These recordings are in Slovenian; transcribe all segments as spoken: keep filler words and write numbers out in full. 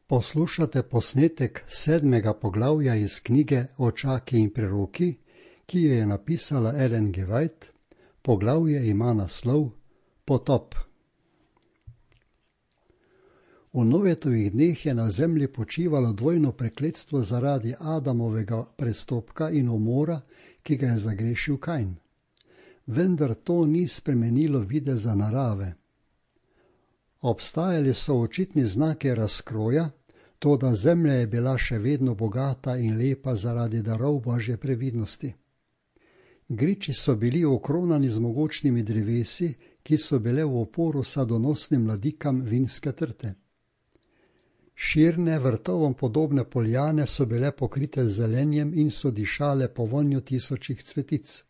Poslušate posnetek sedmega poglavja iz knjige Očaki in preroki, ki jo je napisala Ellen G. White. Poglavje ima naslov Potop. V Noetovih dneh je na zemlji počivalo dvojno prekletstvo zaradi Adamovega prestopka in umora, ki ga je zagrešil Kain. Vendar to ni spremenilo videza narave. Obstajali so očitni znaki razkroja, toda zemlja je bila še vedno bogata in lepa zaradi darov Božje previdnosti. Griči so bili okronani z mogočnimi drevesi, ki so bile v oporu sadonosnim mladikam vinske trte. Širne, vrtovom podobne poljane so bile pokrite z zelenjem in so dišale po vonju tisočih cvetic.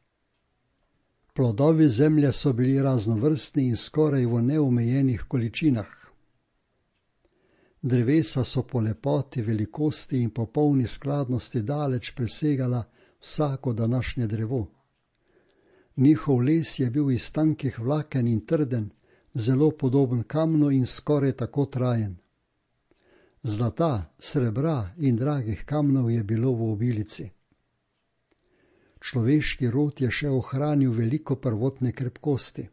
Plodovi zemlje so bili raznovrstni in skoraj v neomejenih količinah. Drevesa so po lepoti, velikosti in popolni skladnosti daleč presegala vsako današnje drevo. Njihov les je bil iz tankih vlaken in trden, zelo podoben kamnu in skoraj tako trajen. Zlata, srebra in dragih kamnov je bilo v obilici. Človeški rod je še ohranil veliko prvotne krepkosti.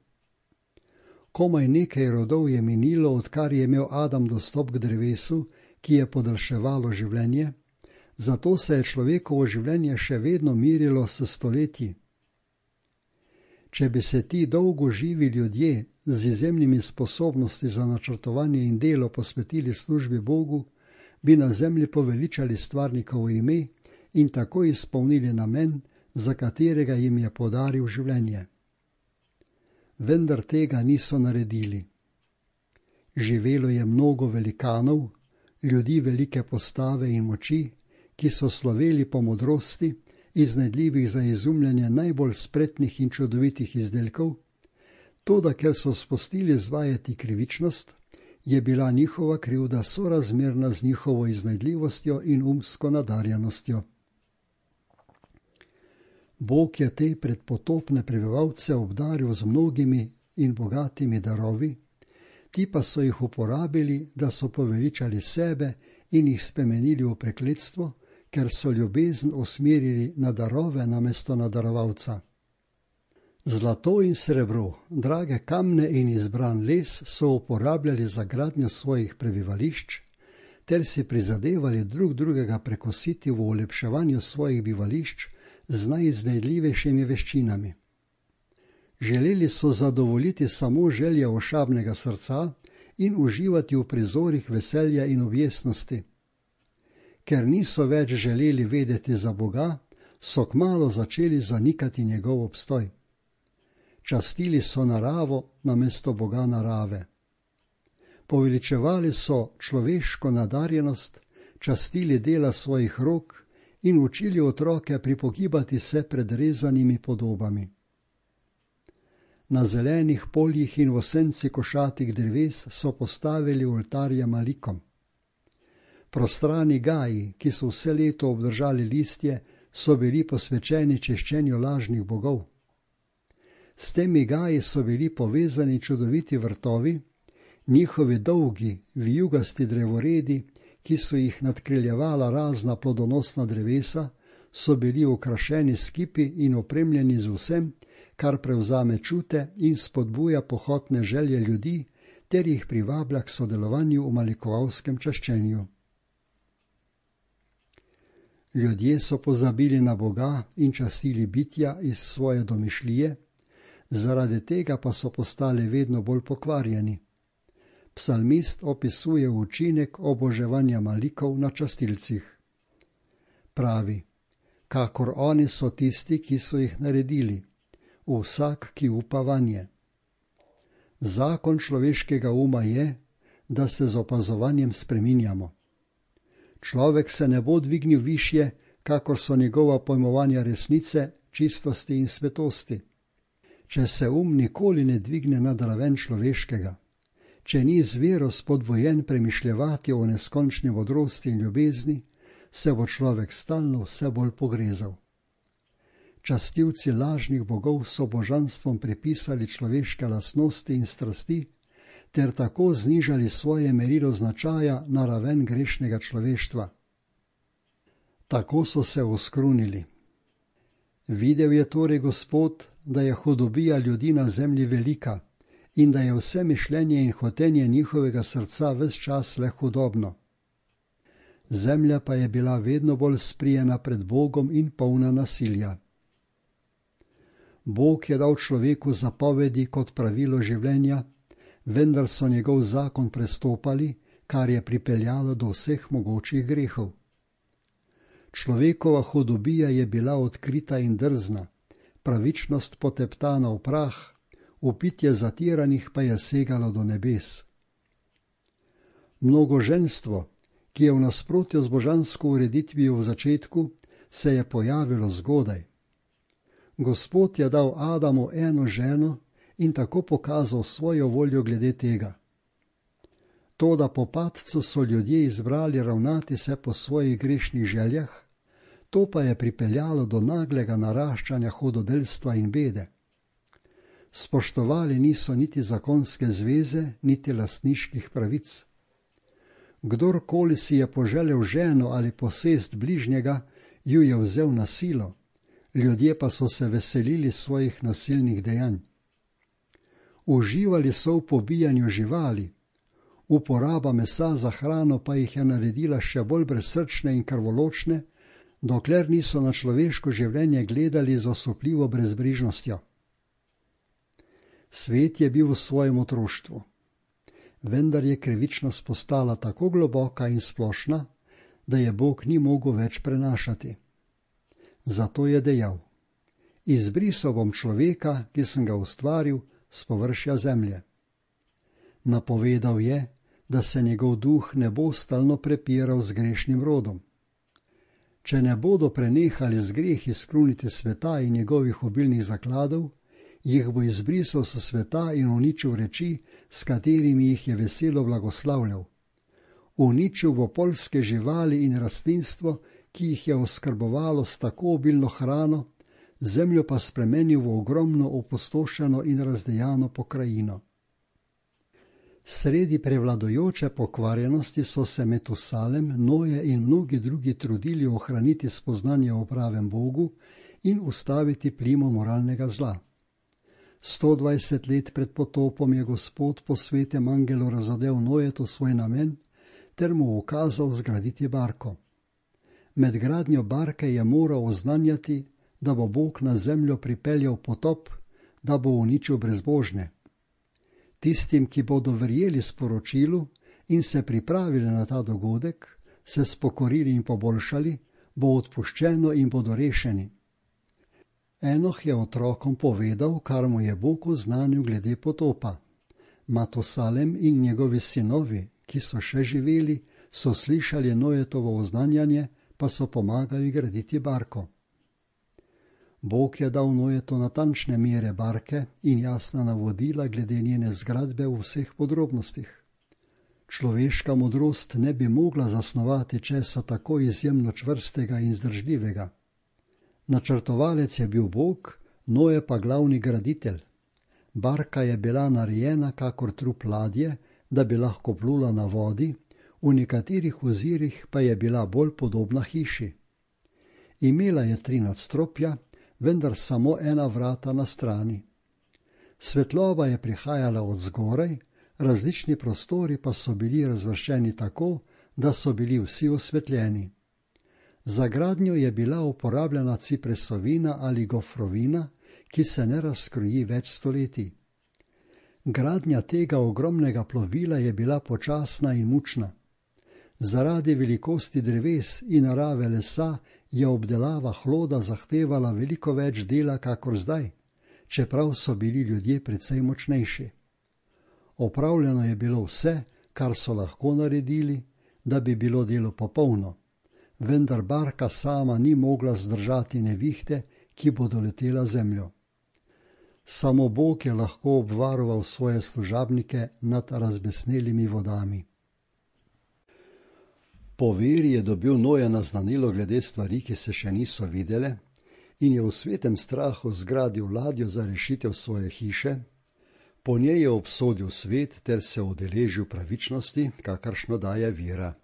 Komaj nekaj rodov je minilo, odkar je imel Adam dostop k drevesu, ki je podaljševalo življenje, zato se je človekovo življenje še vedno mirilo s stoletji. Če bi se ti dolgo živi ljudje z izjemnimi sposobnosti za načrtovanje in delo posvetili službi Bogu, bi na zemlji poveličali stvarnikovo ime in tako izpolnili namen, za katerega jim je podaril življenje. Vendar tega niso naredili. Živelo je mnogo velikanov, ljudi velike postave in moči, ki so sloveli po modrosti, iznajdljivih za izumljanje najbolj spretnih in čudovitih izdelkov, toda ker so spustili zvajati krivičnost, je bila njihova krivda sorazmerna z njihovo iznajdljivostjo in umsko nadarjenostjo. Bog je te predpotopne prebivalce obdaril z mnogimi in bogatimi darovi, ti pa so jih uporabili, da so poveličali sebe in jih spremenili v prekletstvo, ker so ljubezen usmerili na darove namesto na darovalca. Zlato in srebro, drage kamne in izbran les so uporabljali za gradnjo svojih prebivališč, ter si prizadevali drug drugega prekositi v olepševanju svojih bivališč z najiznajdljivejšimi veščinami. Želeli so zadovoljiti samo želje ošabnega srca in uživati v prizorih veselja in objesnosti. Ker niso več želeli vedeti za Boga, so kmalu začeli zanikati njegov obstoj. Častili so naravo namesto Boga narave. Poveličevali so človeško nadarjenost, častili dela svojih rok in učili otroke pripogibati se pred rezanimi podobami. Na zelenih poljih in v senci košatih dreves so postavili oltarje malikom. Prostrani gaji, ki so vse leto obdržali listje, so bili posvečeni češčenju lažnih bogov. S temi gaji so bili povezani čudoviti vrtovi, njihovi dolgi, vijugasti drevoredi, ki so jih nadkriljevala razna plodonosna drevesa, so bili okrašeni s kipi in opremljeni z vsem, kar prevzame čute in spodbuja pohotne želje ljudi, ter jih privablja k sodelovanju v malikovalskem čaščenju. Ljudje so pozabili na Boga in častili bitja iz svoje domišljije, zaradi tega pa so postali vedno bolj pokvarjeni. Psalmist opisuje učinek oboževanja malikov na častilcih. Pravi, kakor oni so tisti, ki so jih naredili, vsak, ki upa vanje. Zakon človeškega uma je, da se z opazovanjem spreminjamo. Človek se ne bo dvignil višje, kakor so njegova pojmovanja resnice, čistosti in svetosti. Če se um nikoli ne dvigne nad raven človeškega, če ni z vero spodbujen premišljevati o neskončni modrosti in ljubezni, se bo človek stalno vse bolj pogrezal. Častilci lažnih bogov so božanstvom pripisali človeške lastnosti in strasti, ter tako znižali svoje merilo značaja na raven grešnega človeštva. Tako so se oskrunili. Videl je torej Gospod, da je hudobija ljudi na zemlji velika in da je vse mišljenje in hotenje njihovega srca ves čas le hudobno. Zemlja pa je bila vedno bolj sprijena pred Bogom in polna nasilja. Bog je dal človeku zapovedi kot pravilo življenja, vendar so njegov zakon prestopali, kar je pripeljalo do vseh mogočih grehov. Človekova hudobija je bila odkrita in drzna, pravičnost poteptana v prah, vpitje zatiranih pa je segalo do nebes. Mnogoženstvo, ki je v nasprotju z božansko ureditvijo v začetku, se je pojavilo zgodaj. Gospod je dal Adamu eno ženo in tako pokazal svojo voljo glede tega. Toda po padcu so ljudje izbrali ravnati se po svojih grešnih željah, to pa je pripeljalo do naglega naraščanja hudodelstva in bede. Spoštovali niso niti zakonske zveze, niti lastniških pravic. Kdorkoli si je poželel ženo ali posest bližnjega, ju je vzel na silo, ljudje pa so se veselili svojih nasilnih dejanj. Uživali so v pobijanju živali, uporaba mesa za hrano pa jih je naredila še bolj brezsrčne in krvoločne, dokler niso na človeško življenje gledali z osupljivo brezbrižnostjo. Svet je bil v svojem otroštvu, vendar je krivičnost postala tako globoka in splošna, da je Bog ni mogel več prenašati. Zato je dejal: izbrisal bom človeka, ki sem ga ustvaril, s površja zemlje. Napovedal je, da se njegov duh ne bo stalno prepiral z grešnim rodom. Če ne bodo prenehali z grehi skruniti sveta in njegovih obilnih zakladov, jih bo izbrisal s sveta in uničil reči, s katerimi jih je veselo blagoslavljal. Uničil bo poljske živali in rastlinstvo, ki jih je oskrbovalo s tako obilno hrano, zemljo pa spremenil v ogromno opustošeno in razdejano pokrajino. Sredi prevladojoče pokvarjenosti so se Metusalem, Noje in mnogi drugi trudili ohraniti spoznanje o pravem Bogu in ustaviti plimo moralnega zla. sto dvajset let pred potopom je Gospod po svetem angelu razodel Nojetu svoj namen ter mu ukazal zgraditi barko. Med gradnjo barke je moral oznanjati, da bo Bog na zemljo pripeljal potop, da bo uničil brezbožne. Tistim, ki bodo verjeli sporočilu in se pripravili na ta dogodek, se spokorili in poboljšali, bo odpuščeno in bodo rešeni. Enoh je otrokom povedal, kar mu je Bog oznanil glede potopa. Matusalem in njegovi sinovi, ki so še živeli, so slišali Nojetovo oznanjanje, pa so pomagali graditi barko. Bog je dal Nojetu natančne mere barke in jasna navodila glede njene zgradbe v vseh podrobnostih. Človeška modrost ne bi mogla zasnovati česa tako izjemno čvrstega in zdržljivega. Načrtovalec je bil Bog, Noje pa glavni graditelj. Barka je bila narejena kakor trup ladje, da bi lahko plula na vodi, v nekaterih ozirih pa je bila bolj podobna hiši. Imela je tri nadstropja, vendar samo ena vrata na strani. Svetloba je prihajala od zgoraj, različni prostori pa so bili razvrščeni tako, da so bili vsi osvetljeni. Za gradnjo je bila uporabljena cipresovina ali gofrovina, ki se ne razkroji več stoletij. Gradnja tega ogromnega plovila je bila počasna in mučna. Zaradi velikosti dreves in narave lesa je obdelava hloda zahtevala veliko več dela kakor zdaj, čeprav so bili ljudje precej močnejši. Opravljeno je bilo vse, kar so lahko naredili, da bi bilo delo popolno, vendar barka sama ni mogla zdržati nevihte, ki bo doletela zemljo. Samo Bog je lahko obvaroval svoje služabnike nad razbesnelimi vodami. Po veri je dobil Noje naznanilo glede stvari, ki se še niso videle, in je v svetem strahu zgradil ladjo za rešitev svoje hiše, Po njej je obsodil svet ter se udeležil pravičnosti, kakršno daje vera.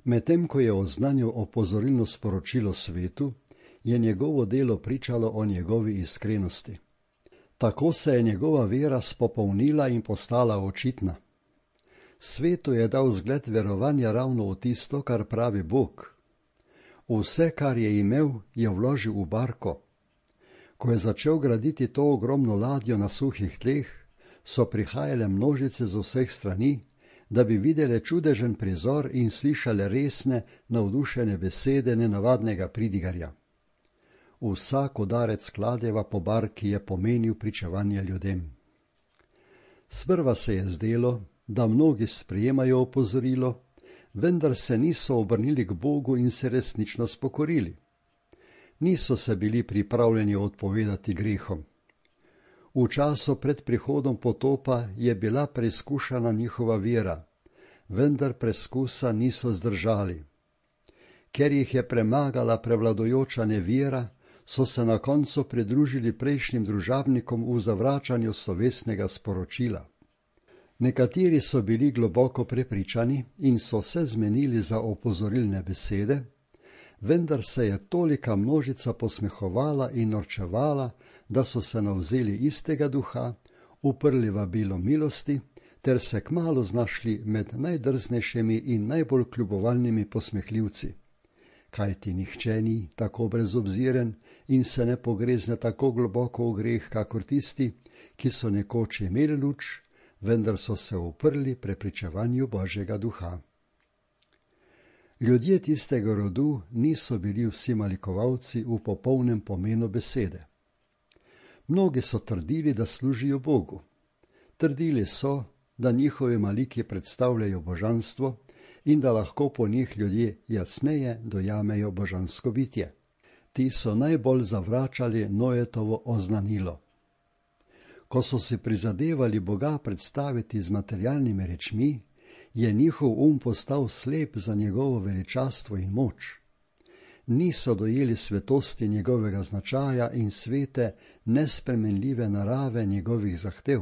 Medtem ko je oznanil opozorilno sporočilo svetu, je njegovo delo pričalo o njegovi iskrenosti. Tako se je njegova vera spopolnila in postala očitna. Svetu je dal zgled verovanja ravno v tisto, kar pravi Bog. Vse, kar je imel, je vložil v barko. Ko je začel graditi to ogromno ladjo na suhih tleh, so prihajale množice z vseh strani, da bi videle čudežen prizor in slišale resne, navdušene besede nenavadnega pridigarja. Vsak udarec kladeva po barki je pomenil pričevanje ljudem. Sprva se je zdelo, da mnogi sprejemajo opozorilo, vendar se niso obrnili k Bogu in se resnično spokorili. Niso se bili pripravljeni odpovedati grehom. V času pred prihodom potopa je bila preizkušana njihova vera, vendar preskusa niso zdržali. Ker jih je premagala prevladujoča nevera, so se na koncu pridružili prejšnjim družabnikom v zavračanju slovesnega sporočila. Nekateri so bili globoko prepričani in so se zmenili za opozorilne besede, vendar se je tolika množica posmehovala in norčevala, da so se navzeli istega duha, uprli vabilo milosti, ter se kmalu znašli med najdrznejšimi in najbolj kljubovalnimi posmehljivci. Kajti nihče ni tako brezobziren in se ne pogrezne tako globoko v greh, kakor tisti, ki so nekoč imeli luč, vendar so se uprli prepričevanju Božjega duha. Ljudje tistega rodu niso bili vsi malikovalci v popolnem pomenu besede. Mnogi so trdili, da služijo Bogu. Trdili so, da njihovi maliki predstavljajo božanstvo in da lahko po njih ljudje jasneje dojamejo božansko bitje. Ti so najbolj zavračali Noetovo oznanilo. Ko so si prizadevali Boga predstaviti z materialnimi rečmi, je njihov um postal slep za njegovo veličastvo in moč. Niso dojeli svetosti njegovega značaja in svete, nespremenljive narave njegovih zahtev.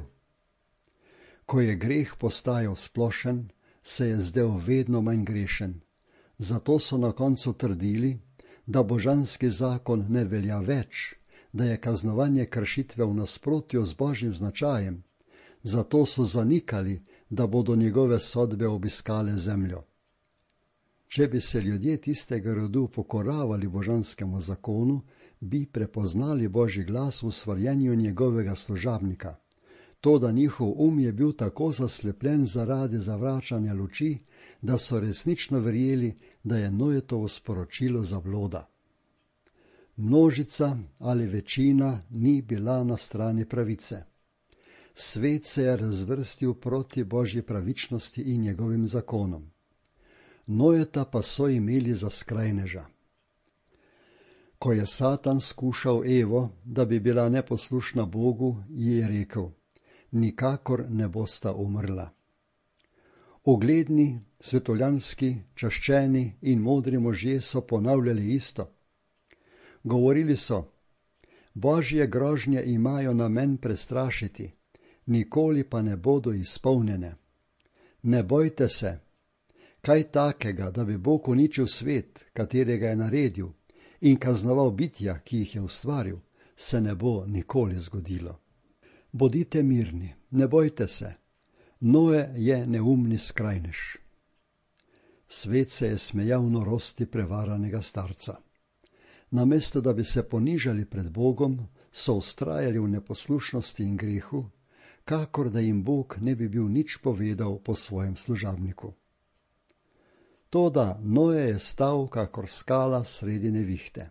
Ko je greh postajal splošen, se je zdel vedno manj grešen. Zato so na koncu trdili, da božanski zakon ne velja več, da je kaznovanje kršitve v nasprotju z božjim značajem. Zato so zanikali, da bodo njegove sodbe obiskale zemljo. Če bi se ljudje tistega rodu pokoravali božanskemu zakonu, bi prepoznali Božji glas v svarjenju njegovega služabnika. To, da njihov um je bil tako zaslepljen zaradi zavračanja luči, da so resnično verjeli, da je Noetovo sporočilo zabloda. Množica ali večina ni bila na strani pravice. Svet se je razvrstil proti Božji pravičnosti in njegovim zakonom. Noeta pa so imeli za skrajneža. Ko je Satan skušal Evo, da bi bila neposlušna Bogu, ji je rekel: nikakor ne bosta umrla. Ugledni, svetovljanski, čaščeni in modri možje so ponavljali isto. Govorili so: Božje grožnje imajo namen prestrašiti, nikoli pa ne bodo izpolnjene. Ne bojte se, kaj takega, da bi Bog uničil svet, katerega je naredil, in kaznoval bitja, ki jih je ustvaril, se ne bo nikoli zgodilo. Bodite mirni, ne bojte se, Noe je neumni skrajnež. Svet se je smejal norosti prevaranega starca. Namesto da bi se ponižali pred Bogom, so vztrajali v neposlušnosti in grehu, kakor da jim Bog ne bi bil nič povedal po svojem služabniku. Toda Noe je stal kakor skala sredi nevihte.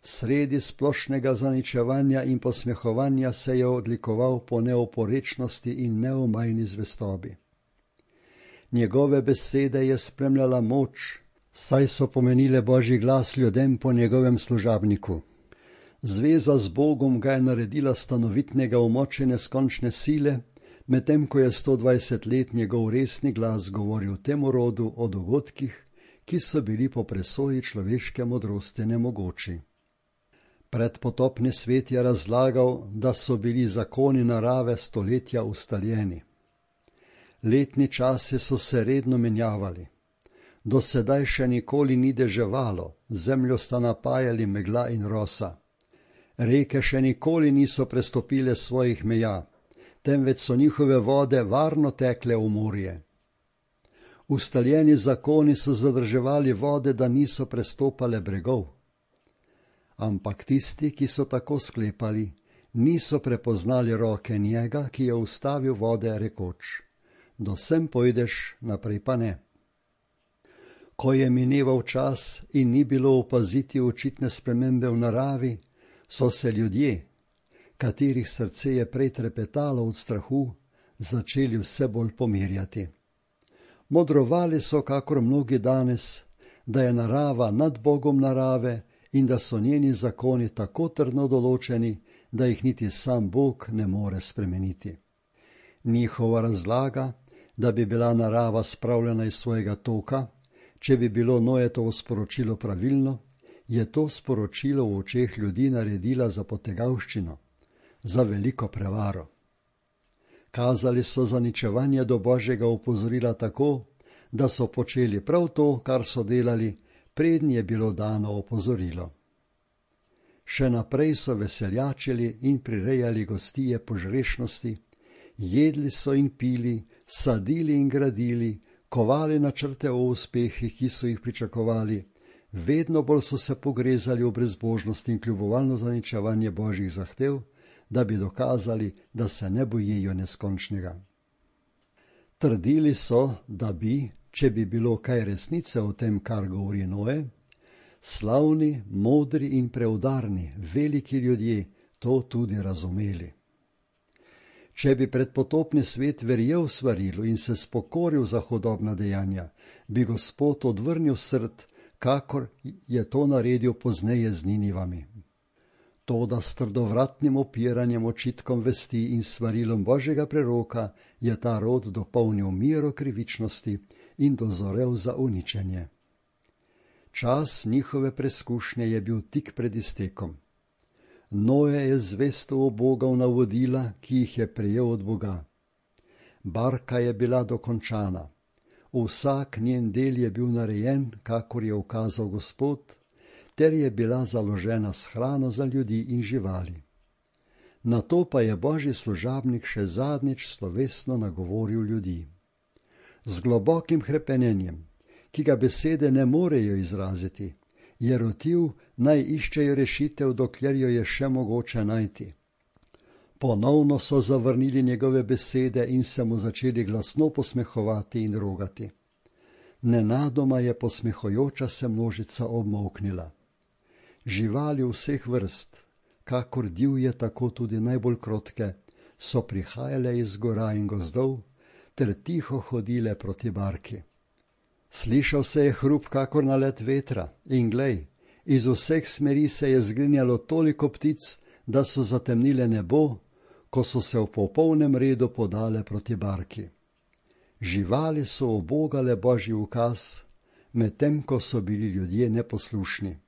Sredi splošnega zaničevanja in posmehovanja se je odlikoval po neoporečnosti in neomajni zvestobi. Njegove besede je spremljala moč, saj so pomenile Božji glas ljudem po njegovem služabniku. Zveza z Bogom ga je naredila stanovitnega v moči neskončne sile, medtem ko je sto dvajset let njegov resni glas govoril temu rodu o dogodkih, ki so bili po presoji človeške modrosti nemogoči. Predpotopni svet je razlagal, da so bili zakoni narave stoletja ustaljeni. Letni časi so se redno menjavali. Do sedaj še nikoli ni deževalo, zemljo sta napajali megla in rosa. Reke še nikoli niso prestopile svojih meja, temveč so njihove vode varno tekle v morje. Ustaljeni zakoni so zadrževali vode, da niso prestopale bregov. Ampak tisti, ki so tako sklepali, niso prepoznali roke njega, ki je ustavil vode, rekoč: do sem pojdeš, naprej pa ne. Ko je mineval čas in ni bilo opaziti očitne spremembe v naravi, so se ljudje, katerih srce je prej trepetalo od strahu, začeli vse bolj pomirjati. Modrovali so, kakor mnogi danes, da je narava nad Bogom narave in da so njeni zakoni tako trdno določeni, da jih niti sam Bog ne more spremeniti. Njihova razlaga, da bi bila narava spravljena iz svojega toka, če bi bilo Noetovo sporočilo pravilno, je to sporočilo v očeh ljudi naredila za potegavščino, za veliko prevaro. Kazali so zaničevanje do Božjega opozorila tako, da so počeli prav to, kar so delali, preden je bilo dano opozorilo. Še naprej so veseljačili in prirejali gostije požrešnosti, jedli so in pili, sadili in gradili, kovali načrte o uspehih, ki so jih pričakovali, vedno bolj so se pogrezali v brezbožnost in kljubovalno zaničevanje Božjih zahtev, da bi dokazali, da se ne bojijo neskončnega. Trdili so, da bi, če bi bilo kaj resnice o tem, kar govori Noe, slavni, modri in preudarni, veliki ljudje to tudi razumeli. Če bi predpotopni svet verjel svarilu in se spokoril za hudobna dejanja, bi Gospod odvrnil srd, kakor je to naredil pozneje z Ninivami. Toda s trdovratnim opiranjem očitkom vesti in svarilom Božjega preroka je ta rod dopolnil mero krivičnosti in dozorel za uničenje. Čas njihove preskušnje je bil tik pred iztekom. Noe je zvesto ubogal navodila, ki jih je prejel od Boga. Barka je bila dokončana. Vsak njen del je bil narejen, kakor je ukazal Gospod, ter je bila založena s hrano za ljudi in živali. Nato pa je Božji služabnik še zadnjič slovesno nagovoril ljudi. Z globokim hrepenenjem, ki ga besede ne morejo izraziti, je rotil, naj iščejo rešitev, dokler jo je še mogoče najti. Ponovno so zavrnili njegove besede in se mu začeli glasno posmehovati in rogati. Nenadoma je posmehojoča se množica obmolknila. Živali vseh vrst, kakor divje, tako tudi najbolj krotke, so prihajale iz gora in gozdov ter tiho hodile proti barki. Slišal se je hrup kakor nalet vetra in glej, iz vseh smeri se je zgrinjalo toliko ptic, da so zatemnile nebo, ko so se v popolnem redu podale proti barki. Živali so ubogale Božji ukaz, medtem ko so bili ljudje neposlušni.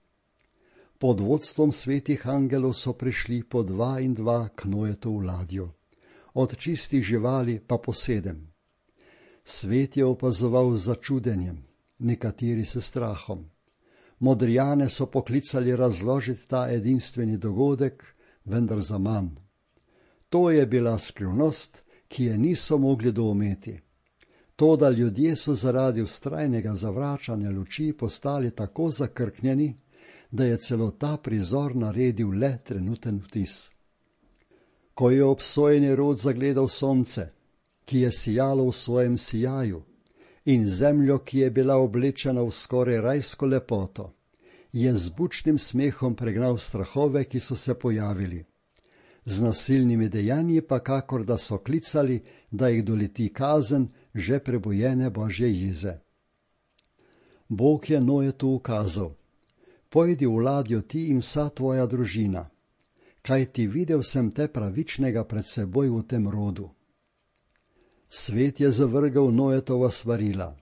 Pod vodstvom svetih angelov so prišli po dva in dva k Noetu v ladjo, od čistih živali pa po sedem. Svet je opazoval z začudenjem, nekateri s strahom. Modrijane so poklicali razložiti ta edinstveni dogodek, vendar zaman. To je bila skrivnost, ki je niso mogli doumeti. Toda ljudje so zaradi vztrajnega zavračanja luči postali tako zakrknjeni, da je celo ta prizor naredil le trenuten vtis. Ko je obsojeni rod zagledal sonce, ki je sijalo v svojem sijaju, in zemljo, ki je bila oblečena v skoraj rajsko lepoto, je z bučnim smehom pregnal strahove, ki so se pojavili. Z nasilnimi dejanji pa kakor da so klicali, da jih doleti kazen že prebujene Božje jeze. Bog je Noetu ukazal: pojdi v ladjo ti in vsa tvoja družina, kajti videl sem te pravičnega pred seboj v tem rodu. Svet je zavrgal Noetova svarila,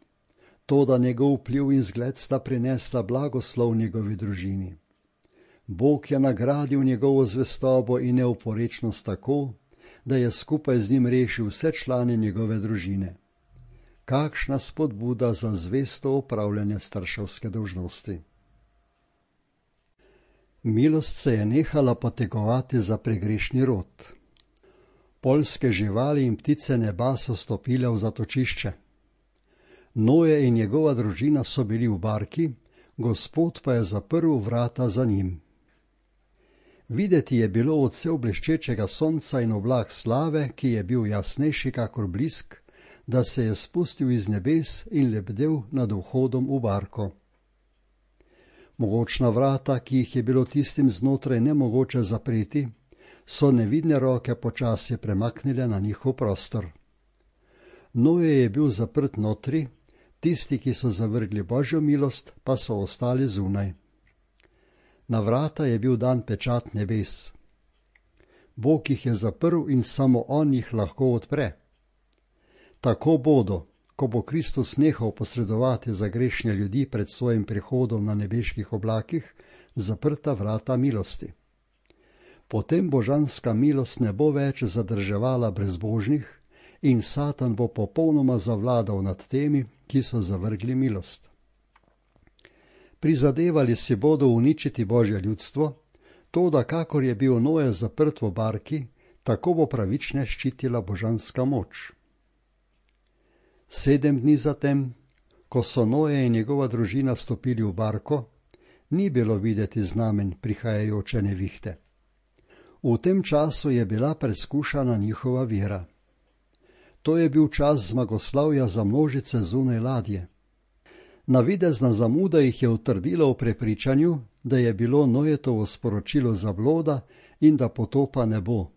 toda njegov vpliv in zgled sta prinesla blagoslov njegovi družini. Bog je nagradil njegovo zvestobo in neoporečnost tako, da je skupaj z njim rešil vse člane njegove družine. Kakšna spodbuda za zvesto opravljanje starševske dolžnosti. Milost se je nehala potegovati za pregrešni rod. Poljske živali in ptice neba so stopile v zatočišče. Noje in njegova družina so bili v barki, Gospod pa je zaprl vrata za njim. Videti je bilo odsev bleščečega sonca in oblak slave, ki je bil jasnejši kakor blisk, da se je spustil iz nebes in lebdel nad vhodom v barko. Mogočna vrata, ki jih je bilo tistim znotraj nemogoče zapreti, so nevidne roke počasi premaknile na njihov prostor. Noje je bil zaprt notri, tisti, ki so zavrgli Božjo milost, pa so ostali zunaj. Na vrata je bil dan pečat nebes. Bog jih je zaprl in samo on jih lahko odpre. Tako bodo, ko bo Kristus nehal posredovati za grešnje ljudi pred svojim prihodom na nebeških oblakih, zaprta vrata milosti. Potem božanska milost ne bo več zadrževala brezbožnih in Satan bo popolnoma zavladal nad temi, ki so zavrgli milost. Prizadevali si bodo uničiti Božje ljudstvo, to, da kakor je bil Noe zaprt v barki, tako bo pravične ščitila božanska moč. Sedem dni zatem, ko so Noe in njegova družina stopili v barko, ni bilo videti znamen prihajajoče nevihte. V tem času je bila preskušana njihova vera. To je bil čas zmagoslavja za množice zunaj ladje. Navidezna zamuda jih je utrdila v prepričanju, da je bilo Nojetovo sporočilo zabloda in da potopa ne bo.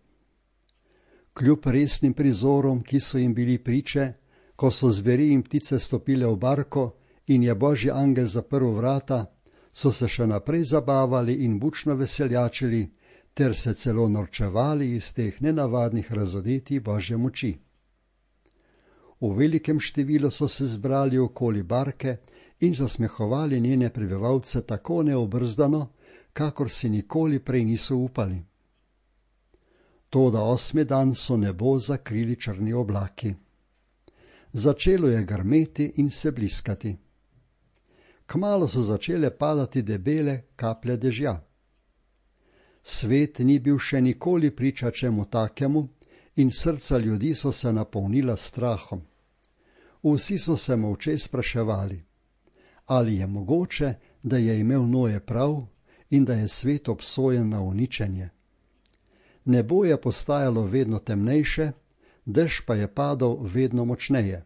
Kljub resnim prizorom, ki so jim bili priče, ko so zveri in ptice stopile v barko in je Božji angel zaprl vrata, so se še naprej zabavali in bučno veseljačili, ter se celo norčevali iz teh nenavadnih razodetij Božje moči. V velikem številu so se zbrali okoli barke in zasmehovali njene prebivalce tako neobrzdano, kakor si nikoli prej niso upali. Toda osmi dan so nebo zakrili črni oblaki. Začelo je grmeti in se bliskati. Kmalu so začele padati debele kaplje dežja. Svet ni bil še nikoli priča čemu takemu in srca ljudi so se napolnila strahom. Vsi so se molče spraševali, ali je mogoče, da je imel Noe prav in da je svet obsojen na uničenje. Nebo je postajalo vedno temnejše, dež pa je padal vedno močneje.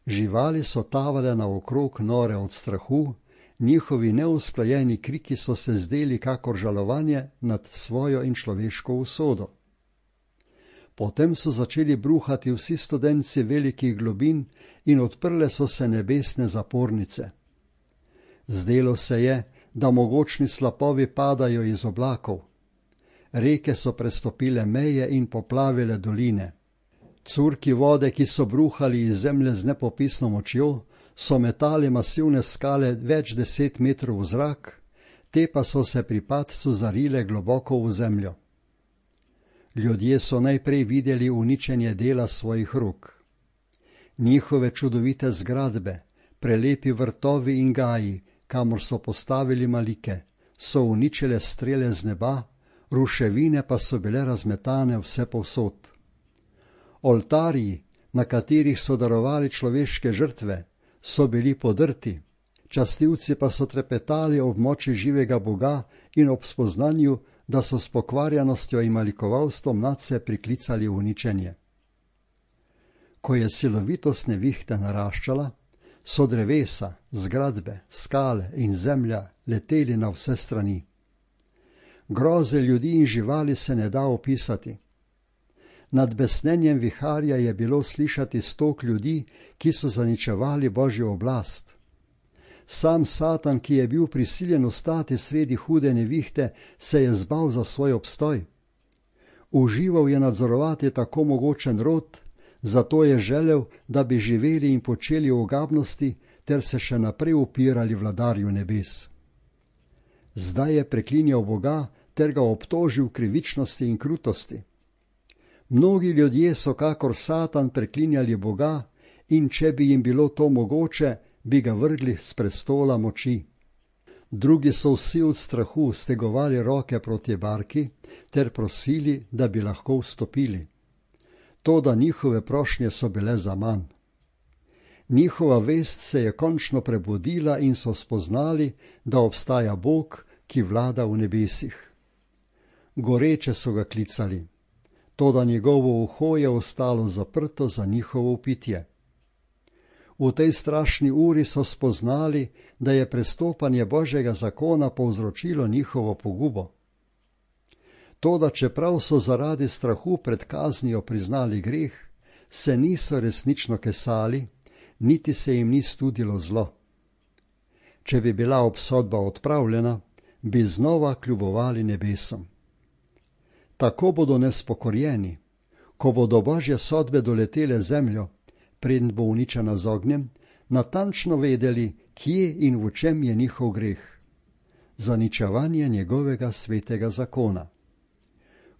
Živali so tavale naokrog nore od strahu, njihovi neusklajeni kriki so se zdeli kakor žalovanje nad svojo in človeško usodo. Potem so začeli bruhati vsi studenci velikih globin in odprle so se nebesne zapornice. Zdelo se je, da mogočni slapovi padajo iz oblakov. Reke so prestopile meje in poplavile doline. Curki vode, ki so bruhali iz zemlje z nepopisno močjo, so metali masivne skale več deset metrov v zrak, te pa so se pri padcu zarile globoko v zemljo. Ljudje so najprej videli uničenje dela svojih rok. Njihove čudovite zgradbe, prelepi vrtovi in gaji, kamor so postavili malike, so uničile strele z neba, ruševine pa so bile razmetane vse povsod. Oltarji, na katerih so darovali človeške žrtve, so bili podrti, častilci pa so trepetali ob moči živega Boga in ob spoznanju, da so s pokvarjenostjo in malikovalstvom nadse priklicali uničenje. Ko je silovitost nevihte naraščala, so drevesa, zgradbe, skale in zemlja leteli na vse strani. Groze ljudi in živali se ne da opisati. Nad besnenjem viharja je bilo slišati stok ljudi, ki so zaničevali Božjo oblast. Sam Satan, ki je bil prisiljen ostati sredi hude nevihte, se je zbal za svoj obstoj. Užival je nadzorovati tako mogočen rod, zato je želel, da bi živeli in počeli ogabnosti ter se še naprej upirali vladarju nebes. Zdaj je preklinjal Boga ter ga obtožil krivičnosti in krutosti. Mnogi ljudje so kakor Satan preklinjali Boga in če bi jim bilo to mogoče, bi ga vrgli s prestola moči. Drugi so vsi od strahu stegovali roke proti barki ter prosili, da bi lahko vstopili. Toda njihove prošnje so bile zaman. Njihova vest se je končno prebudila in so spoznali, da obstaja Bog, ki vlada v nebesih. Goreče so ga klicali, toda njegovo uho je ostalo zaprto za njihovo pitje. V tej strašni uri so spoznali, da je prestopanje Božjega zakona povzročilo njihovo pogubo. Toda čeprav so zaradi strahu pred kaznijo priznali greh, se niso resnično kesali, niti se jim ni studilo zlo. Če bi bila obsodba odpravljena, bi znova kljubovali nebesom. Tako bodo nespokorjeni, ko bodo Božje sodbe doletele zemljo, preden bo uničena z ognjem, natančno vedeli, kje in v čem je njihov greh. Zaničevanje njegovega svetega zakona.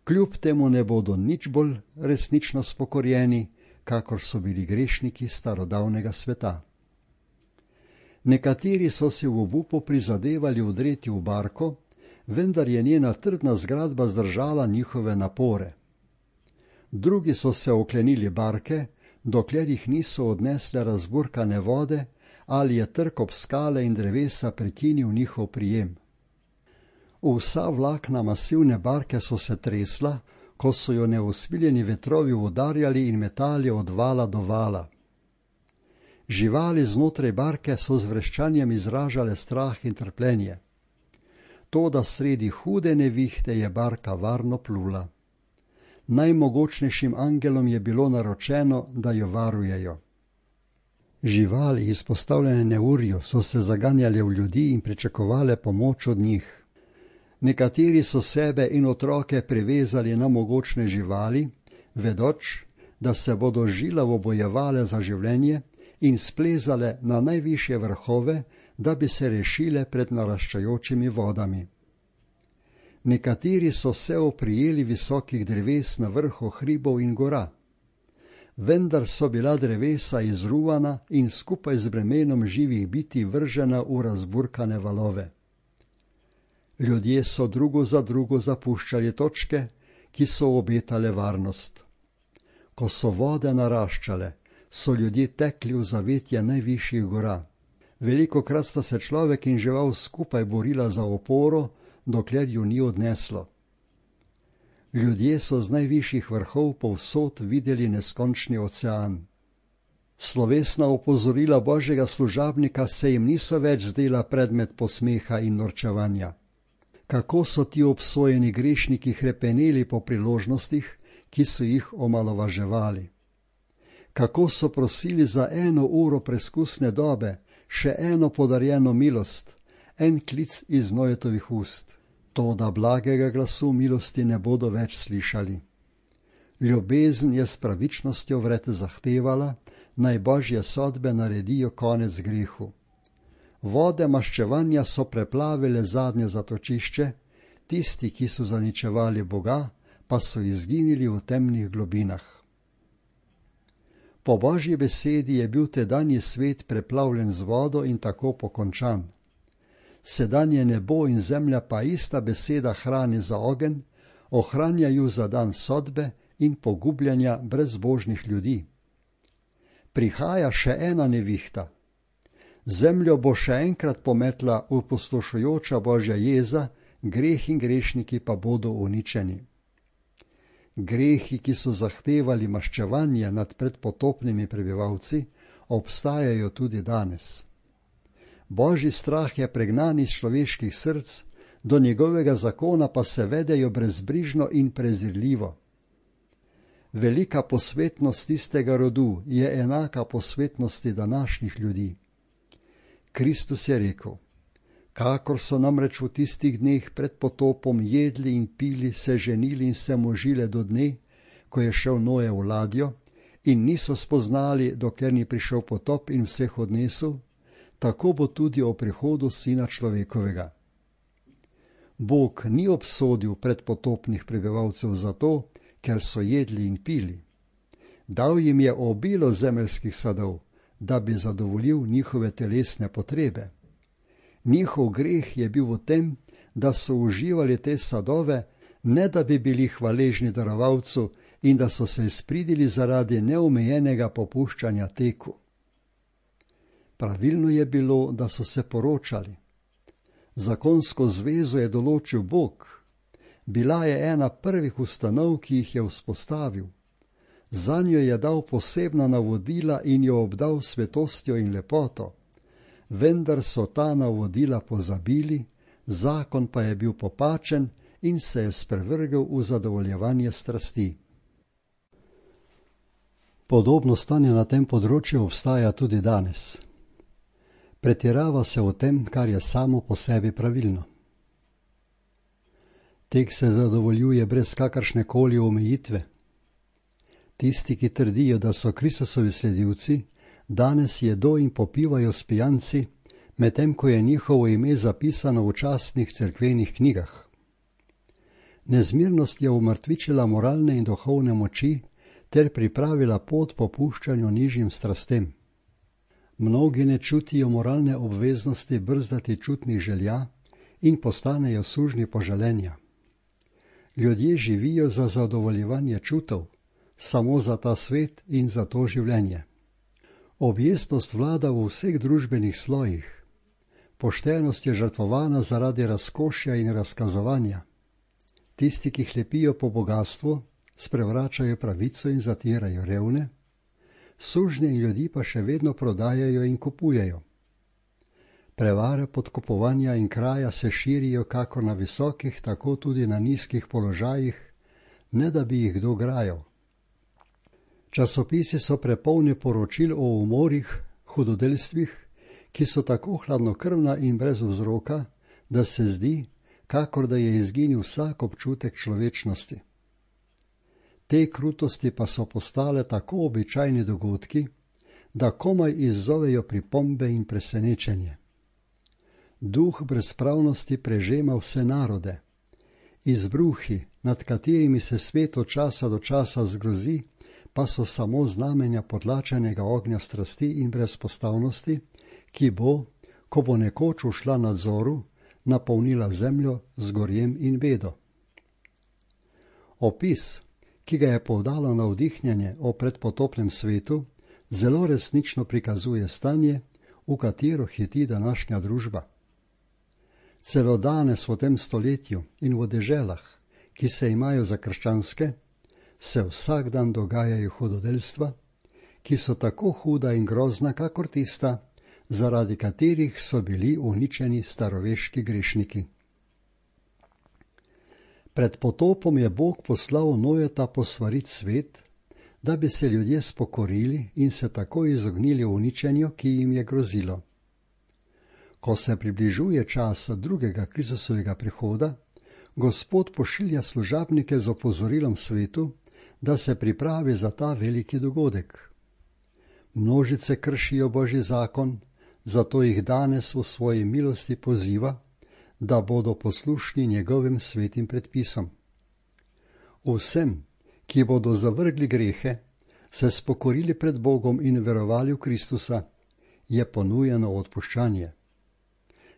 Kljub temu ne bodo nič bolj resnično spokorjeni, kakor so bili grešniki starodavnega sveta. Nekateri so si v obupu prizadevali vdreti v barko, vendar je njena trdna zgradba zdržala njihove napore. Drugi so se oklenili barke, dokler jih niso odnesle razburkane vode ali je trk ob skale in drevesa prekinil njihov prijem. Vsa vlakna masivne barke so se tresla, ko so jo neusmiljeni vetrovi udarjali in metali od vala do vala. Živali znotraj barke so z vreščanjem izražale strah in trpljenje. Toda sredi hude nevihte je barka varno plula. Najmogočnejšim angelom je bilo naročeno, da jo varujejo. Živali, izpostavljene neurju, so se zaganjale v ljudi in pričakovale pomoč od njih. Nekateri so sebe in otroke privezali na mogočne živali, vedoč, da se bodo žilavo bojevale za življenje in splezale na najvišje vrhove, da bi se rešile pred naraščajočimi vodami. Nekateri so se oprijeli visokih dreves na vrhu hribov in gora, vendar so bila drevesa izruvana in skupaj z bremenom živih bitij vržena v razburkane valove. Ljudje so drugo za drugo zapuščali točke, ki so obetale varnost. Ko so vode naraščale, so ljudje tekli v zavetje najvišjih gora. Velikokrat sta se človek in žival skupaj borila za oporo, dokler ju ni odneslo. Ljudje so z najvišjih vrhov povsod videli neskončni ocean. Slovesna opozorila Božjega služabnika se jim niso več zdela predmet posmeha in norčevanja. Kako so ti obsojeni grešniki hrepeneli po priložnostih, ki so jih omalovaževali. Kako so prosili za eno uro preskusne dobe, še eno podarjeno milost, en klic iz Noetovih ust. Toda blagega glasu milosti ne bodo več slišali. Ljubezen je s pravičnostjo vred zahtevala, naj Božje sodbe naredijo konec grehu. Vode maščevanja so preplavile zadnje zatočišče, tisti, ki so zaničevali Boga, pa so izginili v temnih globinah. Po Božji besedi je bil tedanji svet preplavljen z vodo in tako pokončan. Sedanje nebo in zemlja pa ista beseda hrani za ogenj, ohranjajo za dan sodbe in pogubljanja brezbožnih ljudi. Prihaja še ena nevihta. Zemljo bo še enkrat pometla opustošujoča Božja jeza, greh in grešniki pa bodo uničeni. Grehi, ki so zahtevali maščevanje nad predpotopnimi prebivalci, obstajajo tudi danes. Božji strah je pregnan iz človeških src, do njegovega zakona pa se vedejo brezbrižno in prezirljivo. Velika posvetnost tistega rodu je enaka posvetnosti današnjih ljudi. Kristus je rekel, kakor so namreč v tistih dneh pred potopom jedli in pili, se ženili in se možile do dne, ko je šel Noe v ladjo, in niso spoznali, dokler ni prišel potop in vseh odnesel, tako bo tudi o prihodu Sina človekovega. Bog ni obsodil predpotopnih prebivalcev zato, ker so jedli in pili. Dal jim je obilo zemeljskih sadov, da bi zadovoljil njihove telesne potrebe. Njihov greh je bil v tem, da so uživali te sadove, ne da bi bili hvaležni darovalcu in da so se izpridili zaradi neomejenega popuščanja teku. Pravilno je bilo, da so se poročali. Zakonsko zvezo je določil Bog. Bila je ena prvih ustanov, ki jih je vzpostavil. Zanjo je dal posebna navodila in jo obdal svetostjo in lepoto. Vendar so ta navodila pozabili, zakon pa je bil popačen in se je sprevrgel v zadovoljevanje strasti. Podobno stanje na tem področju obstaja tudi danes. Pretirava se v tem, kar je samo po sebi pravilno. Tek se zadovoljuje brez kakršne koli omejitve. Tisti, ki trdijo, da so Kristusovi sledilci, danes jedo in popivajo s pijanci, medtem ko je njihovo ime zapisano v častnih cerkvenih knjigah. Nezmirnost je umrtvičila moralne in duhovne moči ter pripravila pot popuščanju nižjim strastem. Mnogi ne čutijo moralne obveznosti brzdati čutnih želja in postanejo sužnji poželenja. Ljudje živijo za zadovoljevanje čutov, samo za ta svet in za to življenje. Objestnost vlada v vseh družbenih slojih. Poštenost je žrtvovana zaradi razkošja in razkazovanja. Tisti, ki hlepijo po bogastvu, sprevračajo pravico in zatirajo revne, sužnje in ljudi pa še vedno prodajajo in kupujejo. Prevare, podkupovanja in kraja se širijo kako na visokih, tako tudi na nizkih položajih, ne da bi jih kdo grajal. Časopisi so prepolni poročil o umorih, hudodelstvih, ki so tako hladnokrvna in brez vzroka, da se zdi, kakor da je izginil vsak občutek človečnosti. Te krutosti pa so postale tako običajni dogodki, da komaj izzovejo pripombe in presenečenje. Duh brezpravnosti prežema vse narode. Izbruhi, nad katerimi se svet od časa do časa zgrozi, pa so samo znamenja potlačenega ognja strasti in brezpostavnosti, ki bo, ko bo nekoč ušla nadzoru, napolnila zemljo z gorjem in bedo. Opis, ki ga je povdalo navdihnjenje o predpotopnem svetu, zelo resnično prikazuje stanje, v katero hiti današnja družba. Celo danes v tem stoletju in v deželah, ki se imajo za krščanske, se vsak dan dogajajo hudodelstva, ki so tako huda in grozna, kakor tista, zaradi katerih so bili uničeni staroveški grešniki. Pred potopom je Bog poslal Nojeta posvarit svet, da bi se ljudje spokorili in se tako izognili uničenju, ki jim je grozilo. Ko se približuje čas drugega Kristusovega prihoda, Gospod pošilja služabnike z opozorilom svetu, da se pripravi za ta veliki dogodek. Množice kršijo Božji zakon, zato jih danes v svoji milosti poziva, da bodo poslušni njegovim svetim predpisom. Vsem, ki bodo zavrgli grehe, se spokorili pred Bogom in verovali v Kristusa, je ponujeno odpuščanje.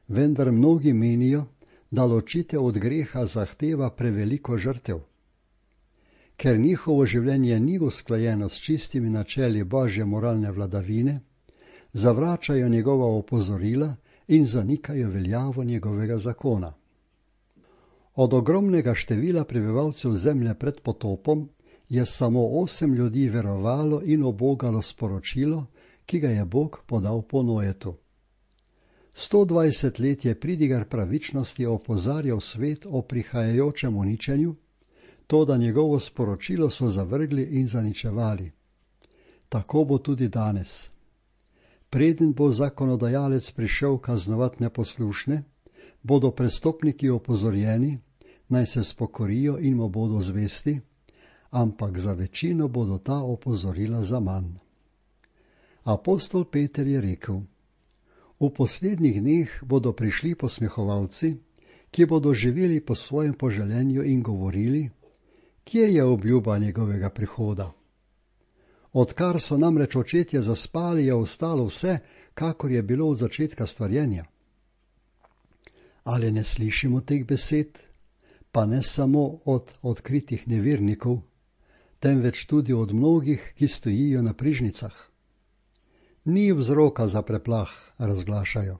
Vendar mnogi menijo, da ločitev od greha zahteva preveliko žrtev. Ker njihovo življenje ni usklajeno s čistimi načeli Božje moralne vladavine, zavračajo njegova opozorila in zanikajo veljavo njegovega zakona. Od ogromnega števila prebivalcev zemlje pred potopom je samo osem ljudi verovalo in obogalo sporočilo, ki ga je Bog podal po Nojetu. sto dvajset let je pridigar pravičnosti opozarjal svet o prihajajočem uničenju, toda njegovo sporočilo so zavrgli in zaničevali. Tako bo tudi danes. Preden bo zakonodajalec prišel kaznovat neposlušne, bodo prestopniki opozorjeni, naj se spokorijo in mu bodo zvesti, ampak za večino bodo ta opozorila zaman. Apostol Peter je rekel: V poslednjih dneh bodo prišli posmehovalci, ki bodo živeli po svojem poželenju in govorili, kje je obljuba njegovega prihoda. Odkar so namreč očetje zaspali, je ostalo vse, kakor je bilo od začetka stvarjenja. Ali ne slišimo teh besed, pa ne samo od odkritih nevernikov, temveč tudi od mnogih, ki stojijo na prižnicah. Ni vzroka za preplah, razglašajo.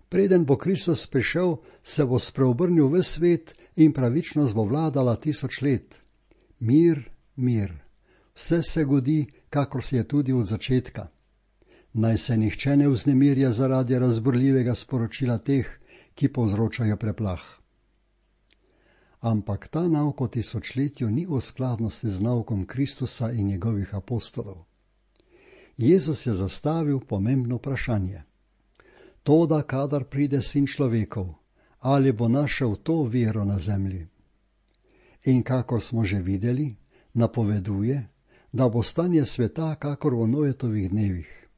Preden bo Kristus prišel, se bo spreobrnil ves svet in pravičnost bo vladala tisoč let. Mir, mir, vse se godi, kakor se je tudi od začetka. Naj se nihče ne vznemirja zaradi razburljivega sporočila teh, ki povzročajo preplah. Ampak ta nauk o tisočletju ni v skladnosti z naukom Kristusa in njegovih apostolov. Jezus je zastavil pomembno vprašanje. Toda, kadar pride sin človekov, ali bo našel to vero na zemlji? In kakor smo že videli, napoveduje, da bo stanje sveta kakor v Noetovih dnevih.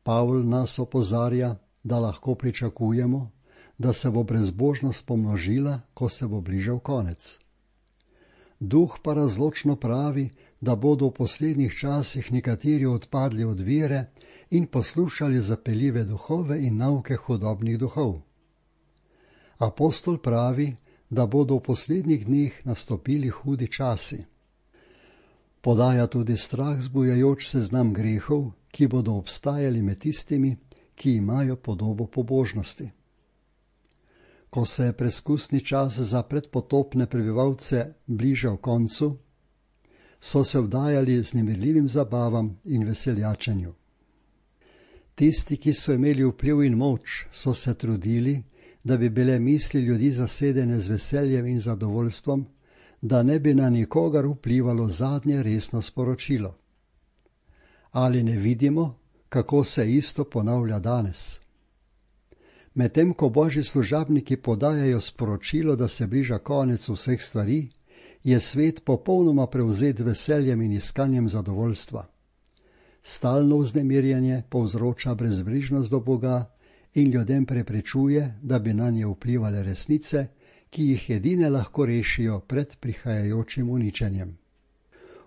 Pavl nas opozarja, da lahko pričakujemo, da se bo brezbožnost pomnožila, ko se bo bližal konec. Duh pa razločno pravi, da bodo v poslednjih časih nekateri odpadli od vere in poslušali zapeljive duhove in nauke hudobnih duhov. Apostol pravi, da bodo v poslednjih dneh nastopili hudi časi. Podaja tudi strah zbujajoč seznam grehov, ki bodo obstajali med tistimi, ki imajo podobo pobožnosti. Ko se je preskusni čas za predpotopne prebivalce bližal koncu, so se vdajali z nemirljivim zabavam in veseljačenju. Tisti, ki so imeli vpliv in moč, so se trudili, da bi bile misli ljudi zasedene z veseljem in zadovoljstvom, da ne bi na nikogar vplivalo zadnje resno sporočilo. Ali ne vidimo, kako se isto ponavlja danes? Medtem ko božji služabniki podajajo sporočilo, da se bliža konec vseh stvari, je svet popolnoma prevzet veseljem in iskanjem zadovoljstva. Stalno vznemirjanje povzroča brezbrižnost do Boga in ljudem preprečuje, da bi nanje vplivale resnice, ki jih edine lahko rešijo pred prihajajočim uničenjem.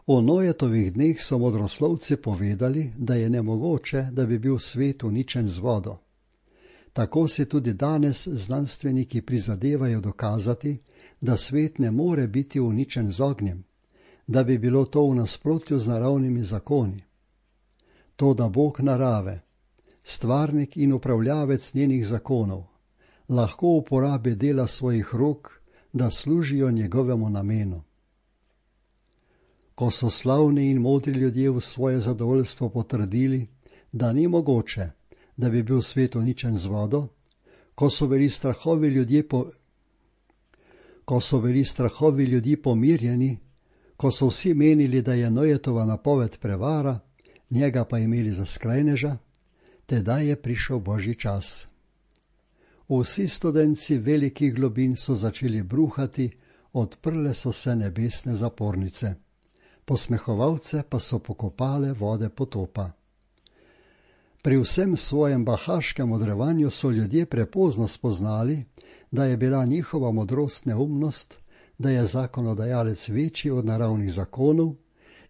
O Noetovih dneh so modroslovci povedali, da je nemogoče, da bi bil svet uničen z vodo. Tako si tudi danes znanstveniki prizadevajo dokazati, da svet ne more biti uničen z ognjem, da bi bilo to v nasprotju z naravnimi zakoni. Toda Bog narave, stvarnik in upravljavec njenih zakonov, lahko uporabi dela svojih rok, da služijo njegovemu namenu. Ko so slavni in modri ljudje v svoje zadovoljstvo potrdili, da ni mogoče, da bi bil svet uničen z vodo, ko so bili strahovi ljudje po... ko so bili strahovi ljudi pomirjeni, ko so vsi menili, da je Noetova napoved prevara, njega pa imeli za skrajneža, tedaj je prišel božji čas. Vsi studenci velikih globin so začeli bruhati, odprle so se nebesne zapornice. Posmehovalce pa so pokopale vode potopa. Pri vsem svojem bahaškem odrevanju so ljudje prepozno spoznali, da je bila njihova modrost neumnost, da je zakonodajalec večji od naravnih zakonov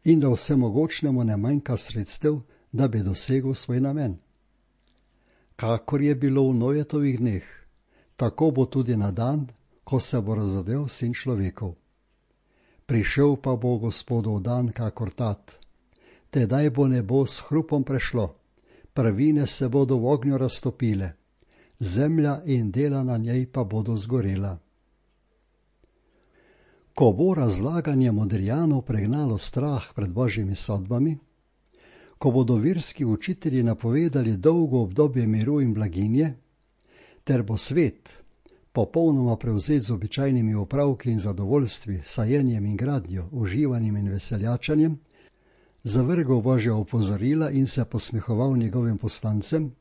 in da vsemogočnemu ne manjka sredstev, da bi dosegel svoj namen. Kakor je bilo v Noetovih dneh, tako bo tudi na dan, ko se bo razodel sin človekov. Prišel pa bo Gospodov dan kakor tat. Tedaj bo nebo s hrupom prešlo, prvine se bodo v ognju raztopile, zemlja in dela na njej pa bodo zgorela. Ko bo razlaganje modrijanov pregnalo strah pred božjimi sodbami, ko bodo verski učitelji napovedali dolgo obdobje miru in blaginje, ter bo svet, popolnoma prevzet z običajnimi opravki in zadovoljstvi, sajenjem in gradnjo, uživanjem in veseljačanjem, zavrgal božja opozorila in se posmehoval njegovim poslancem,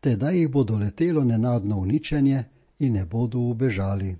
tedaj jih bo doletelo nenadno uničenje in ne bodo ubežali.